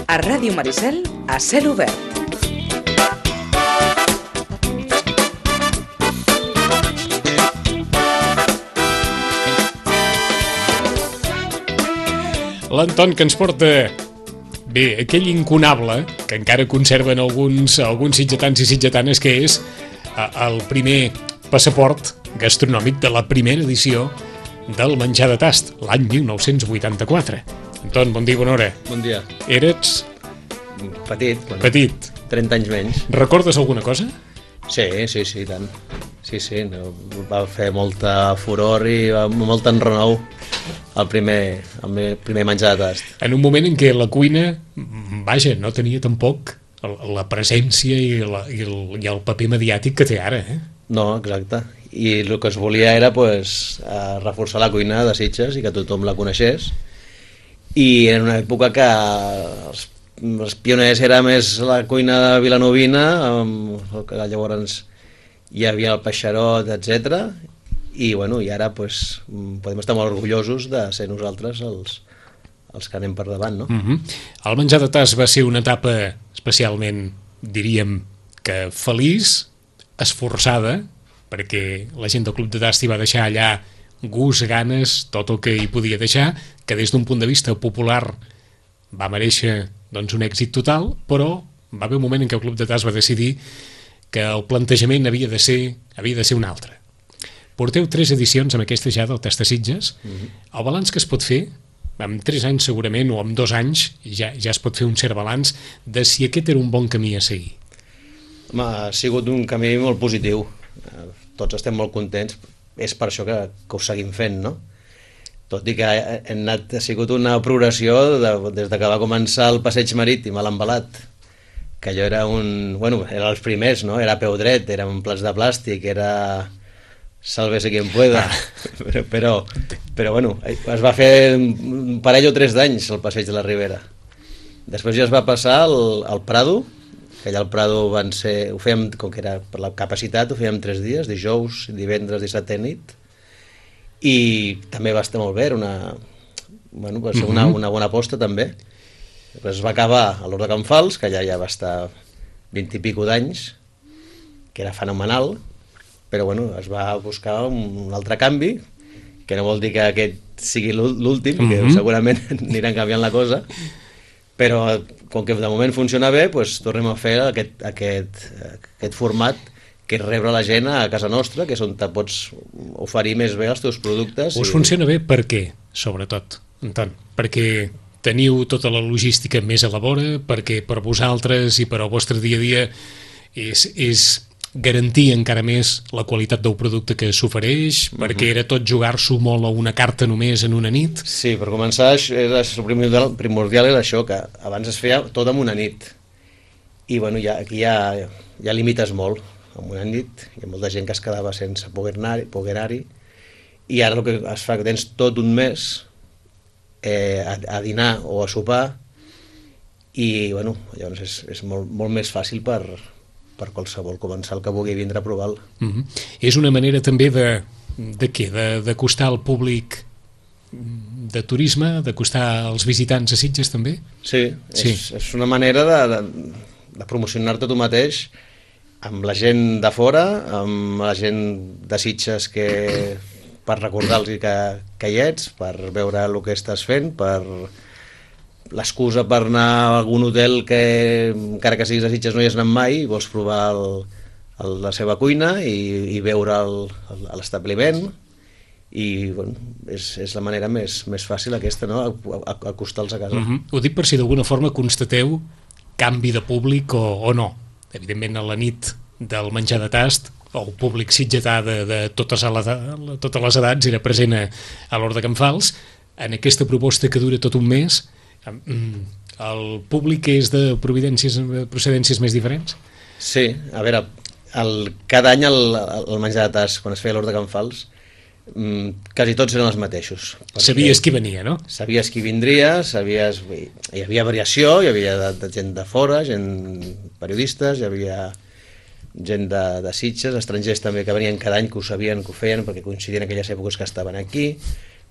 A Ràdio Maricel, a cel obert. L'Anton, que ens porta, bé, aquell incunable que encara conserven alguns sitgetans i sitgetanes, que és el primer passaport gastronòmic de la primera edició del Menjar de Tast, l'any 1984. Anton, bon dia, bona hora. Bon dia. Eres... Petit. Bueno, petit. 30 anys menys. Recordes alguna cosa? Sí, tant. Sí, no, va fer molta furor i molt enrenou el primer menjar de tast. En un moment en què la cuina, vaja, no tenia tampoc la presència i el paper mediàtic que té ara, eh? No, exacte. I el que es volia era reforçar la cuina de Sitges i que tothom la coneixés. I en una època que els pioners era més la cuina de vilanovina, que llavors hi havia el peixarot, etc. I ara podem estar molt orgullosos de ser nosaltres els que anem per davant, no? El Menjar de Tast va ser una etapa especialment, diríem, que feliç, esforçada, perquè la gent del Club de Tast hi va deixar allà gust, ganes, tot el que hi podia deixar, que des d'un punt de vista popular va mereixer un èxit total, però va haver un moment en què el Club de Tast va decidir que el plantejament havia de ser un altre. Porteu 3 edicions amb aquesta ja del Tast de Sitges. El balanç que es pot fer, amb 3 anys segurament, o amb 2 anys, ja es pot fer un cert balanç de si aquest era un bon camí a seguir. Home, ha sigut un camí molt positiu. Tots estem molt contents. És per això que ho seguim fent, no? Tot i que ha sigut una progressió des de que va començar el passeig marítim a l'Embalat, que allò era era els primers, no? Era peu dret, era un plats de plàstic, era sálvese quien pueda, però es va fer un parell o 3 d'anys el passeig de la Ribera. Després ja es va passar al Prado, que allà al Prado ho fèiem, com que era per la capacitat, ho fèiem 3 dies, dijous, divendres, dissabte nit, i també va estar molt bé, va ser una bona aposta també. Després es va acabar a l'Hort de Can Fals, que allà ja va estar 20 i pico d'anys, que era fenomenal, però es va buscar un altre canvi, que no vol dir que aquest sigui l'últim, que segurament aniran canviant la cosa, però com que de moment funciona bé, tornem a fer aquest format, que és rebre la gent a casa nostra, que és on te pots oferir més bé els teus productes. Us funciona bé per què, sobretot, Anton? Perquè teniu tota la logística més a la vora, perquè per vosaltres i per al vostre dia a dia és garantir encara més la qualitat del producte que s'ofereix, perquè era tot jugar-s'ho molt a una carta només en una nit? Sí, per començar, el primordial era això, que abans es feia tot en una nit. I aquí ja limites molt. En una nit hi ha molta gent que es quedava sense poder anar-hi, i ara el que es fa, que tens tot un mes a dinar o a sopar, i llavors és molt més fàcil per qualsevol comensal que vulgui vindre a provar-lo. És una manera també de què? D'acostar al públic de turisme, d'acostar als visitants a Sitges també? Sí. És una manera de promocionar-te tu mateix amb la gent de fora, amb la gent de Sitges, per recordar-los que hi ets, per veure el que estàs fent, per l'excusa per anar a algun hotel que encara que siguis a Sitges no hi has anat mai, i vols provar la seva cuina i veure l'establiment, i és la manera més fàcil aquesta, no? Acostar-los a casa. Ho dic per si d'alguna forma constateu canvi de públic o no. Evidentment, a la nit del Menjar de Tast, el públic sitgetà de totes les edats era present a l'Hort de Can Fals. En aquesta proposta que dura tot un mes, el públic és de procedències més diferents? Sí, a veure, cada any el Menjar de Tast, quan es feia a l'Hort de Can Fals, quasi tots eren els mateixos. Sabies qui venia, no? Sabies qui vindria, hi havia variació, hi havia gent de fora, gent periodistes, hi havia gent de Sitges, estrangers també que venien cada any, que ho sabien, que ho feien, perquè coincidien aquelles èpoques que estaven aquí,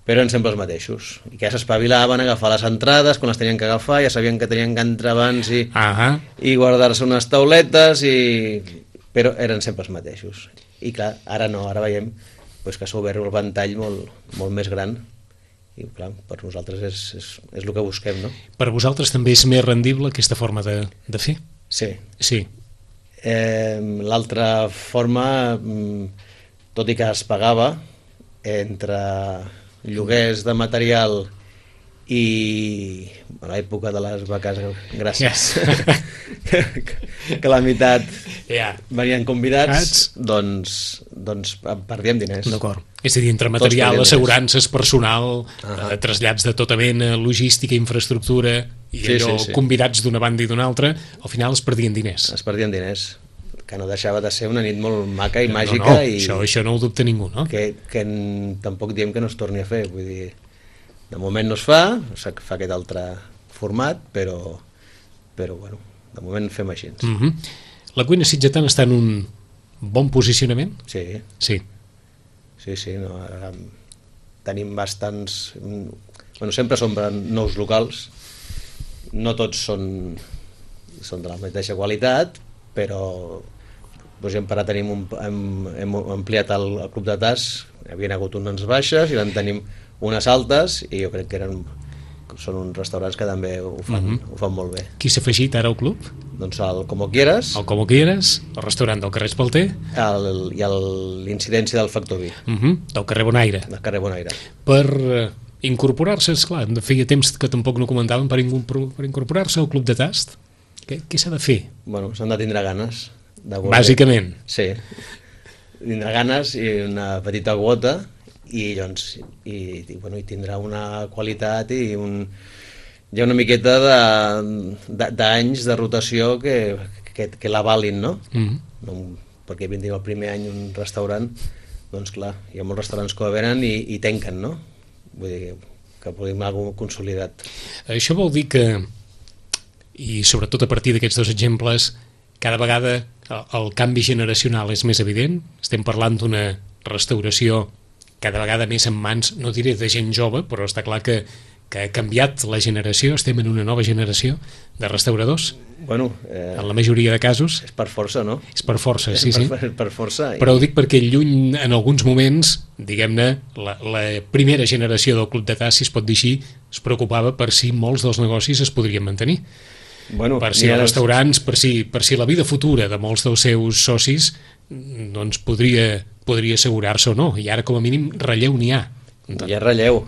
però eren sempre els mateixos. I que ja s'espavilaven a agafar les entrades, quan les tenien que agafar, ja sabien que tenien que entrar abans i guardar-se unes tauletes, però eren sempre els mateixos. I clar, ara no, ara veiem pues, que s'ha obert el ventall molt més gran. I clar, per nosaltres és el que busquem, no? Per vosaltres també és més rendible aquesta forma de fer? Sí. Sí. L'altra forma, tot i que es pagava entre lloguers de material i a l'època de les vaques gràcies que la meitat venien convidats, doncs perdíem diners. D'acord. És a dir, entre material, assegurances, personal, trasllats de tota mena, logística, infraestructura i allò, convidats d'una banda i d'una altra, al final es perdien diners. Es perdien diners, que no deixava de ser una nit molt maca i màgica. Això no ho dubta ningú, no? Que tampoc diem que no es torni a fer, vull dir, de moment no es fa aquest altre format, però bueno, de moment fem així. La cuina sitgetana està en un bon posicionament? Sí. Sí, no, tenim bastants... Bueno, sempre s'omplen nous locals, no tots són de la mateixa qualitat, però per exemple, ara hem ampliat el club de tas, hi havia hagut unes baixes i en tenim unes altes i jo crec que són uns restaurants que també ho fan molt bé. Qui s'ha afegit ara al club? Doncs el Como Quieras. El Como Quieras, el restaurant del carrer Espalter. I l'Incidència del Factor Vi. Del carrer Bonaire. Del carrer Bonaire. Per incorporar-se, esclar, feia temps que tampoc no comentàvem, per incorporar-se al club de tast, què s'ha de fer? Bueno, s'han de tindre ganes. Bàsicament. Sí. Tindrà ganes i una petita quota i tindrà una qualitat i hi ha una miqueta d'anys de rotació que l'avalin, no? Perquè vinguin el primer any un restaurant, doncs clar, hi ha molts restaurants que ho venen i tanquen, no? Vull dir que volem alguna cosa consolidat. Això vol dir que, i sobretot a partir d'aquests dos exemples, cada vegada el canvi generacional és més evident. Estem parlant d'una restauració cada vegada més en mans, no diré de gent jove, però està clar que ha canviat la generació, estem en una nova generació de restauradors. Bueno, en la majoria de casos. És per força, no? És per força, sí. Per força. Però ho dic perquè lluny, en alguns moments, diguem-ne, la primera generació del Club de Tas, si es pot dir així, es preocupava per si molts dels negocis es podrien mantenir. Bueno, per si els restaurants, per si la vida futura de molts dels seus socis doncs podria assegurar-se o no, i ara com a mínim relleu n'hi ha. Hi ha relleu.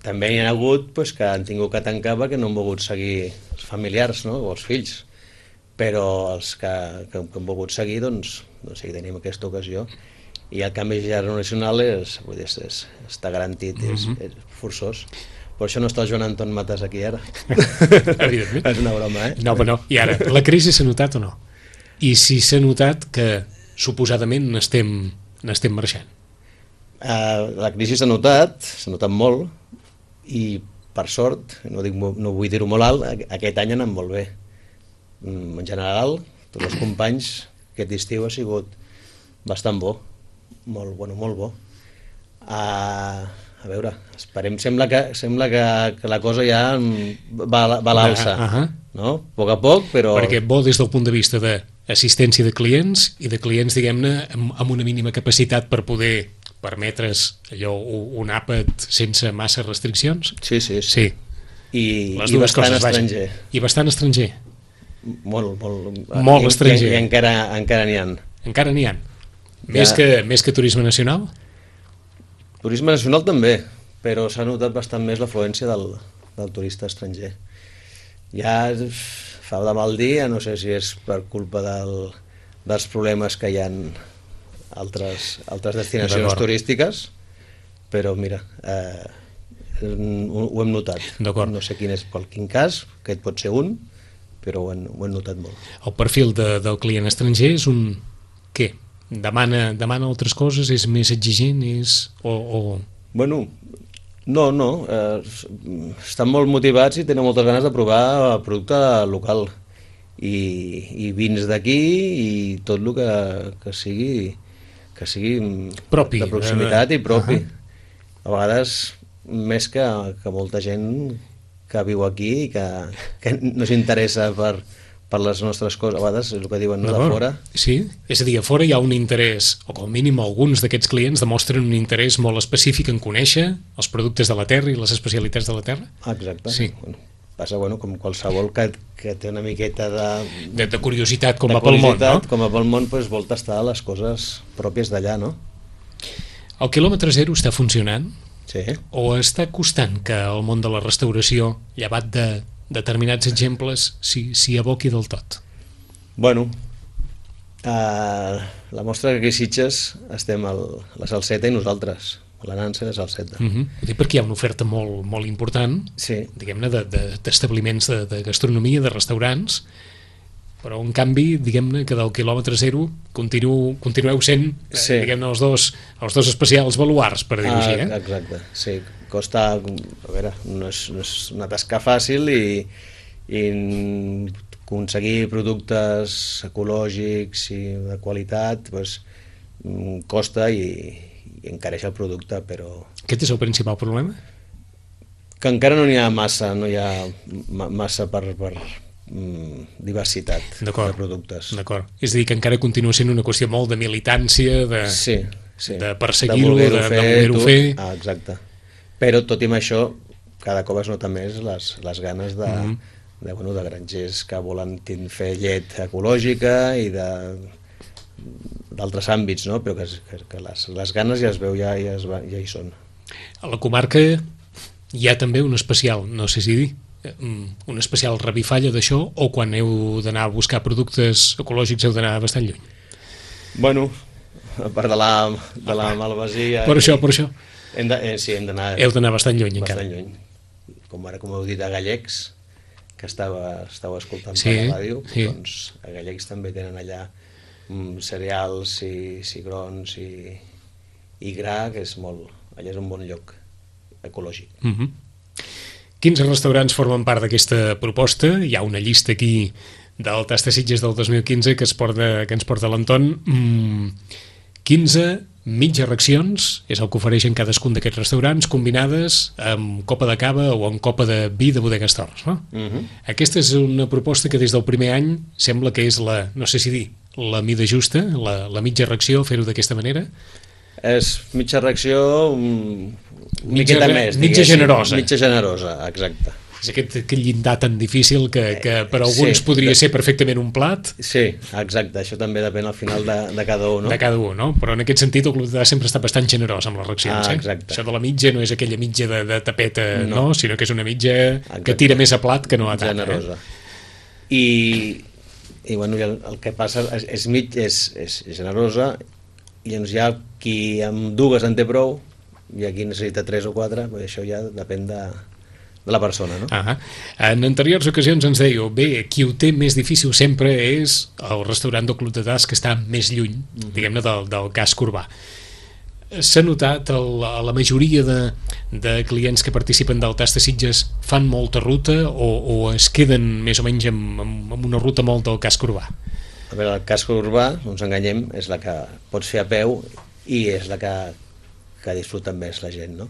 També hi ha hagut que han tingut que tancar perquè no han volgut seguir els familiars, no? O els fills, però els que han volgut seguir, doncs sí que tenim aquesta ocasió, i el canvi generacional està garantit, és forçós. Per això no està el Joan Anton Matas aquí ara. Evidentment. És una broma, No, però no. I ara, la crisi s'ha notat o no? I si s'ha notat que suposadament n'estem marxant? La crisi s'ha notat molt, i per sort, no vull dir-ho molt alt, aquest any ha anat molt bé. En general, tots els companys, aquest estiu ha sigut bastant bo, molt bo. A veure, esperem, sembla que la cosa ja va a l'alça, no? A poc, però... Perquè bo des del punt de vista d'assistència de clients i de clients, diguem-ne, amb una mínima capacitat per poder permetre's allò, un àpat sense massa restriccions? Sí. I bastant estranger. I bastant estranger? Molt estranger. I encara n'hi ha. Encara n'hi ha. Més que turisme nacional? Turisme nacional també, però s'ha notat bastant més l'afluència del turista estranger. Ja fa de mal dia, no sé si és per culpa dels problemes que hi ha altres destinacions turístiques, però mira, ho hem notat. No sé quin cas, aquest pot ser un, però ho hem notat molt. El perfil del client estranger és un què? Demana altres coses? És més exigent? Bueno, no. Estan molt motivats i tenen moltes ganes de provar el producte local i vins d'aquí i tot el que sigui propi, de proximitat i propi. A vegades més que molta gent que viu aquí i que no s'interessa per les nostres coses, a vegades és el que diuen, no, de fora. Sí, és a dir, a fora hi ha un interès, o com a mínim alguns d'aquests clients demostren un interès molt específic en conèixer els productes de la terra i les especialitats de la terra. Exacte. Sí. Bueno, passa, com qualsevol que té una miqueta de curiositat com a pel món, no? Com a pel món, doncs, vol tastar les coses pròpies d'allà, no? El quilòmetre zero està funcionant? Sí. O està costant que el món de la restauració, llevat de determinats exemples, s'hi aboqui del tot? Bueno, la mostra que aquí a Sitges estem la Salseta i nosaltres, la Nansa i la Salseta. Ho dic perquè hi ha una oferta molt, molt important, sí, diguem-ne, d'establiments de gastronomia, de restaurants, però en canvi, diguem-ne, que del quilòmetre zero continueu sent, sí, diguem-ne, els dos especials baluars, per dir-ho així, eh? Exacte, sí, costa, a veure, no és una tasca fàcil i aconseguir productes ecològics i de qualitat, doncs, costa i encareix el producte, però... Aquest és el principal problema? Que encara no hi ha massa, per diversitat de productes. D'acord. És a dir, que encara continua sent una qüestió molt de militància, sí, de perseguir-ho, de voler-ho fer... exacte. Però tot i amb això, cada cop es nota més les ganes de grangers que volen fer llet ecològica i d'altres àmbits, no? Però que les ganes ja es veu, ja hi són. A la comarca hi ha també un especial, no sé si dir, un especial revifalla d'això, o quan heu d'anar a buscar productes ecològics heu d'anar bastant lluny? Bueno, a part de la malvasia... Per això. Sí, hem d'anar... Heu d'anar bastant lluny, encara. Bastant lluny. Com heu dit, a Gallecs, que estàveu escoltant sí, per la ràdio, sí. Doncs a Gallecs també tenen allà cereals i cigrons i gra, que és allà és un bon lloc ecològic. 15 restaurants formen part d'aquesta proposta. Hi ha una llista aquí del Tasta Sitges del 2015 que ens porta l'Anton. 15 mitges racions és el que ofereixen cadascun d'aquests restaurants, combinades amb copa de cava o amb copa de vi de Bodegues Torres, no? Aquesta és una proposta que des del primer any sembla que és no sé si dir, la mida justa, la mitja ració, fer-ho d'aquesta manera. És mitja ració, miqueta més, mitja generosa. Mitja generosa, exacte. És aquest llindar tan difícil que per alguns podria ser perfectament un plat. Sí, exacte, això també depèn al final de cada un, no? De cada un, no? Però en aquest sentit el Club de sempre està bastant generós amb les racions, exacte. Això de la mitja no és aquella mitja de tapeta, no? Sinó que és una mitja que tira més a plat que no a tapa. Generosa. I bueno, el que passa és generosa, i llavors hi ha qui amb dues en té prou i aquí necessita 3 o 4, això ja depèn de la persona, no? En anteriors ocasions ens dèieu, bé, qui ho té més difícil sempre és el restaurant del Club de Tas, que està més lluny, diguem-ne, del casc urbà. S'ha notat, la majoria de clients que participen del Tasta Sitges fan molta ruta o es queden més o menys amb una ruta molt del casc urbà? A veure, el casc urbà, no ens enganyem, és la que pots fer a peu i és la que disfruta més la gent, no?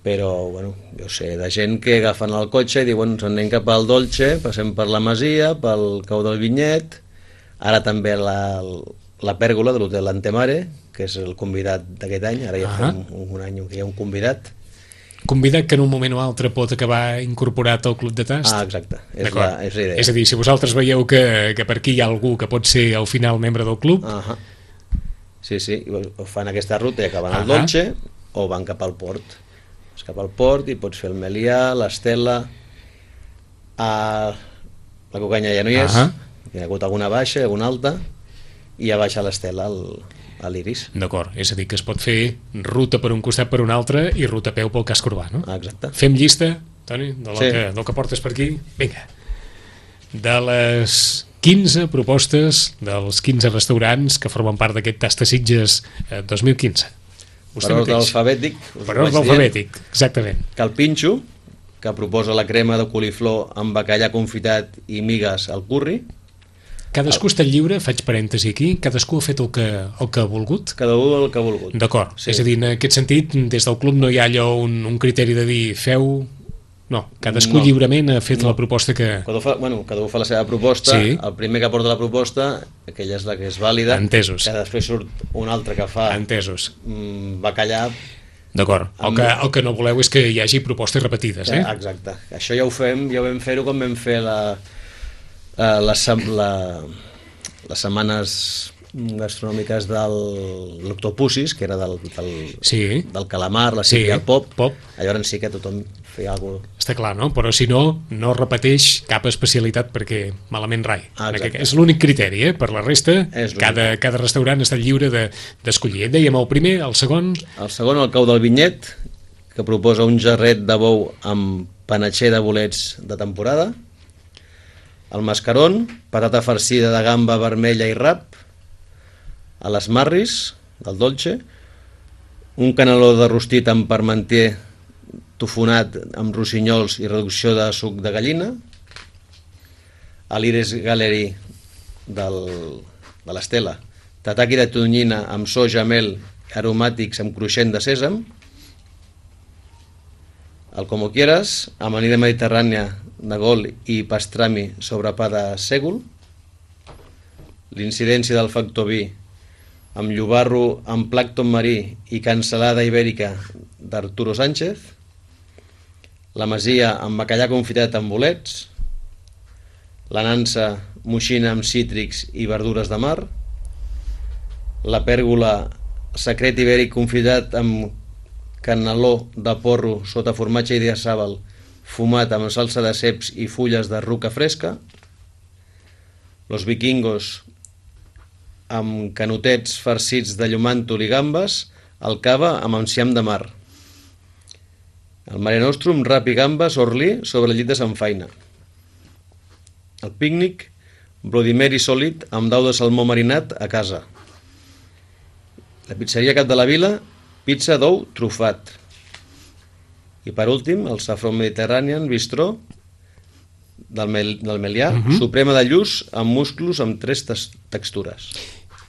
Però, bueno, jo sé, de gent que agafen el cotxe i diuen, ens anem cap al Dolce, passem per la Masia, pel Cau del Vinyet, ara també la pèrgola de l'hotel Antemare, que és el convidat d'aquest any, ara ja fa un any que hi ha un convidat. Convidat que en un moment o altre pot acabar incorporat al Club de Tast? Exacte, és la idea. És a dir, si vosaltres veieu que per aquí hi ha algú que pot ser al final membre del club... Sí, o fan aquesta ruta i acaben al Dolce o van cap al port. Vas cap al port i pots fer el Melià, l'Estela, la Cucanya ja no hi és, hi ha hagut alguna baixa, alguna alta, i ja baixa l'Estela a l'Iris. D'acord, és a dir, que es pot fer ruta per un costat per un altre i ruta a peu pel casc urbà, no? Exacte. Fem llista, Toni, del que portes per aquí? Vinga. De les 15 propostes dels 15 restaurants que formen part d'aquest Tasta Sitges 2015. Per ordre alfabètic. Per ordre alfabètic, exactament. Que el Pinxo, que proposa la crema de coliflor amb bacallà confitat i migues al curri. Cadascú està lliure, faig parèntesi aquí, cadascú ha fet el que ha volgut? Cada un el que ha volgut. D'acord, sí. És a dir, en aquest sentit, des del club no hi ha allò un criteri de dir feu... No, cadascú lliurement ha fet la proposta que... Cada un fa la seva proposta, sí. El primer que porta la proposta, aquella és la que és vàlida, entesos. Que després surt un altre que fa entesos. Bacallà. D'acord, el que no voleu és que hi hagi propostes repetides, eh? Exacte, això ja ho vam fer-ho com vam fer les setmanes gastronòmiques de l'Octopusis, que era del calamar, la sípia, el pop. Llavors sí que tothom feia alguna cosa. Està clar, no? Però si no repeteix cap especialitat perquè malament rai. És l'únic criteri, per la resta cada restaurant està lliure d'escollir. Dèiem el primer, el segon... El segon, el cau del Vinyet, que proposa un jarret de bou amb panatxer de bolets de temporada, el mascarón, patata farcida de gamba vermella i rap, a les marris, del dolce, un caneló de rostit amb parmentier tofonat amb rossinyols i reducció de suc de gallina, a l'Iris Gallery de l'Estela, tataki de tonyina amb soja, mel, aromàtics amb cruixent de sèsam, el Como Quieras, amanida mediterrània de gol i pastrami sobre pa de sègol, l'incidència del factor vi amb llobarro amb plàcton marí i cansalada ibèrica d'Arturo Sánchez, la masia amb bacallà confitat amb bolets, la nansa moixina amb cítrics i verdures de mar, la pèrgola secret ibèric confitat amb caneló de porro sota formatge i diasàbal fumat amb salsa de ceps i fulles de ruca fresca, los vikingos amb canotets farcits de llumàntol i gambes, el cava amb enciam de mar, el Mare Nostrum, rap i gambes, orlí sobre el llit de Samfaina, el pícnic, Bloody Mary sòlid amb dau de salmó marinat a casa, la pizzeria Cap de la Vila, pizza d'ou trufat, i per últim el Saffron Mediterranean Bistró del Melià, suprema de lluç amb musclos amb 3 textures.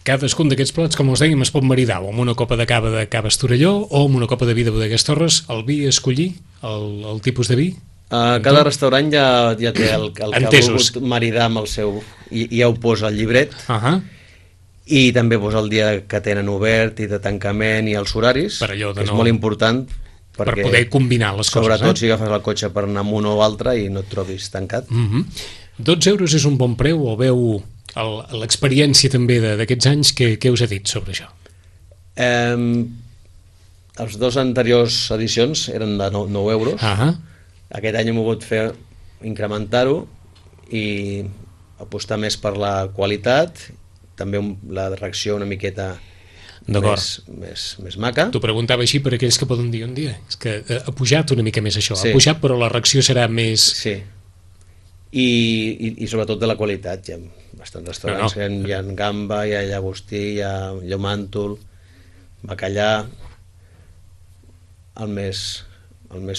Cadascun d'aquests plats, com us dèiem, es pot maridar o amb una copa de cava de Cava Estorelló o amb una copa de vi de Bodegues Torres. El vi escollir, el tipus de vi? Cada restaurant ja té el que ha volgut maridar amb el seu, i ja ho posa al llibret, i també posa el dia que tenen obert i de tancament i els horaris, que és molt important per poder combinar les coses. Sobretot si agafes el cotxe per anar amb un o altre i no et trobis tancat. 12 euros és un bon preu o veu l'experiència també d'aquests anys? Què us ha dit sobre això? Els 2 anteriors edicions eren de 9 euros. Aquest any hem volgut incrementar-ho i apostar més per la qualitat, també la reacció una miqueta més maca. T'ho preguntava així per aquells que poden dir un dia. És que ha pujat una mica més això, ha pujat però la reacció serà més... Sí, i sobretot de la qualitat. Hi ha bastants restaurants, hi ha gamba, hi ha llagostí, hi ha llomàntol, bacallà, el més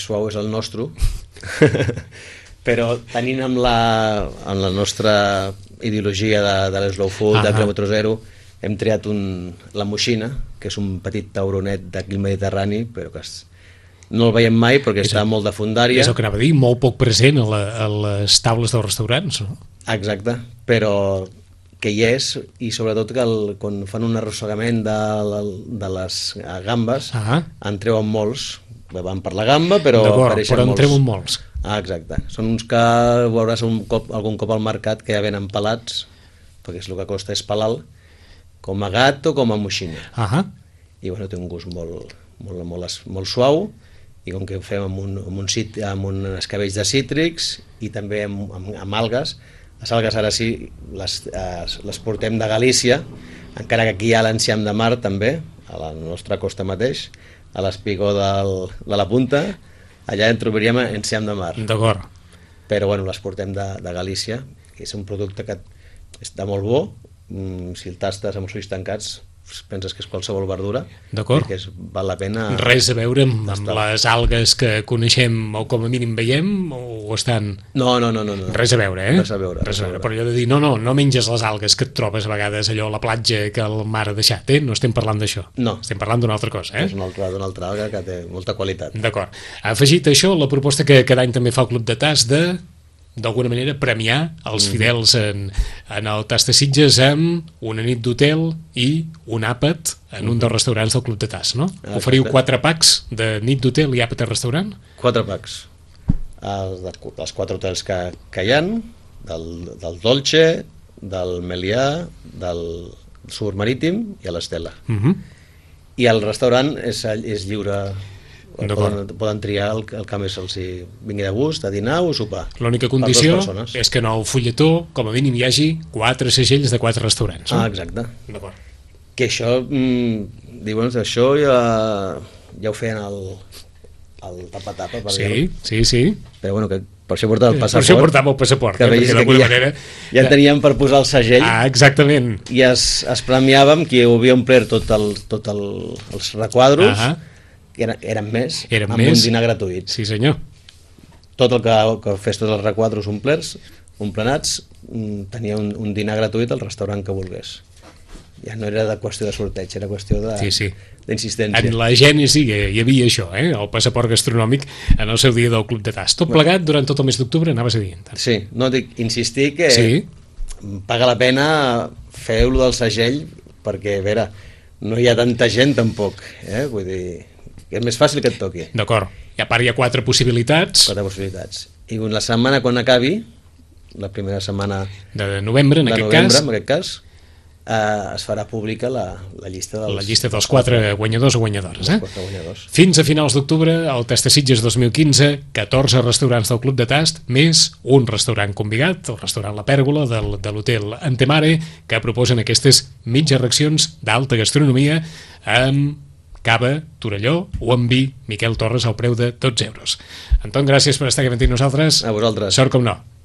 suau és el nostre, però tenint amb la nostra ideologia de l'slow food, de quilòmetre zero, hem triat la moixina, que és un petit tauronet d'aquí al Mediterrani, però que no el veiem mai perquè està molt de fondària. És el que anava a dir, molt poc present a les taules dels restaurants, no? Exacte, però que hi és, i sobretot que quan fan un arrossegament de les gambes en treuen molts. Van per la gamba, però apareixen molts. Però en treuen molts. Exacte. Són uns que veuràs algun cop al mercat que ja venen pelats, perquè és el que costa és pelar, com a gat o com a moixina. I bueno, té un gust molt suau, i com que ho fem amb un escabells de cítrics i també amb algues. Les algues ara sí les portem de Galícia, encara que aquí hi ha l'enciam de mar també, a la nostra costa mateix, a l'espigó de la Punta, allà en trobaríem enciam de mar. D'acord. Però bueno, les portem de Galícia, que és un producte que està molt bo, si el tastes amb els ulls tancats penses que és qualsevol verdura, D'acord. que val la pena... Res a veure amb les algues que coneixem o com a mínim veiem, o estan... No. Res a veure, eh? Res a veure. Però allò de dir, no menges les algues que et trobes a vegades allò a la platja que el mar ha deixat, no estem parlant d'això. No. Estem parlant d'una altra cosa, És una altra alga que té molta qualitat. D'acord. Ha afegit això la proposta que cada any també fa el Club de Tas d'alguna manera premiar els fidels en el Tas de Sitges amb una nit d'hotel i un àpat en un dels restaurants del Club de Tas, no? Oferiu 4 packs de nit d'hotel i àpat a restaurant? 4 packs. Els 4 hotels que hi ha, del Dolce, del Melià, del Sur Marítim i a l'Estela. I el restaurant és lliure. Poden triar el que més els vingui de gust, a dinar o sopar. L'única condició és que en el fulletó, com a mínim, hi hagi 4 segells de 4 restaurants. Ah, exacte. D'acord. Que això, diuen, això ja ho feien el tapa-tapa, per dir-ho. Sí. Però bueno, que per això portava el passaport. Per això portava el passaport, que perquè d'alguna manera... Ja teníem per posar el segell. Ah, exactament. I es premiàvem qui havia omplert tots els requadros, que eren més, amb un dinar gratuït. Sí, senyor. Tot el que fes tots els requadros omplenats tenia un dinar gratuït al restaurant que volgués. Ja no era de qüestió de sorteig, era qüestió d'insistència. En la gènesi hi havia això, el passaport gastronòmic en el seu dia del Club de Tas. Tot plegat durant tot el mes d'octubre, anaves a dir. Sí, no, dic, insistir que paga la pena fer-lo del segell, perquè, a veure, no hi ha tanta gent tampoc, vull dir... és més fàcil que et toqui. D'acord. I a part hi ha 4 possibilitats. 4 possibilitats. I la setmana quan acabi, la primera setmana de novembre, en aquest cas, es farà pública la llista dels 4 guanyadors o guanyadores. 4 guanyadors. Fins a finals d'octubre, al Tas de Sitges 2015, 14 restaurants del Club de Tast, més un restaurant convidat, el restaurant La Pèrgola de l'hotel Antemare, que proposen aquestes mitges racions d'alta gastronomia amb cava, Torelló o amb vi, Miquel Torres, al preu de 12 euros. Anton, gràcies per estar aquí amb nosaltres. A vosaltres. Sort com no.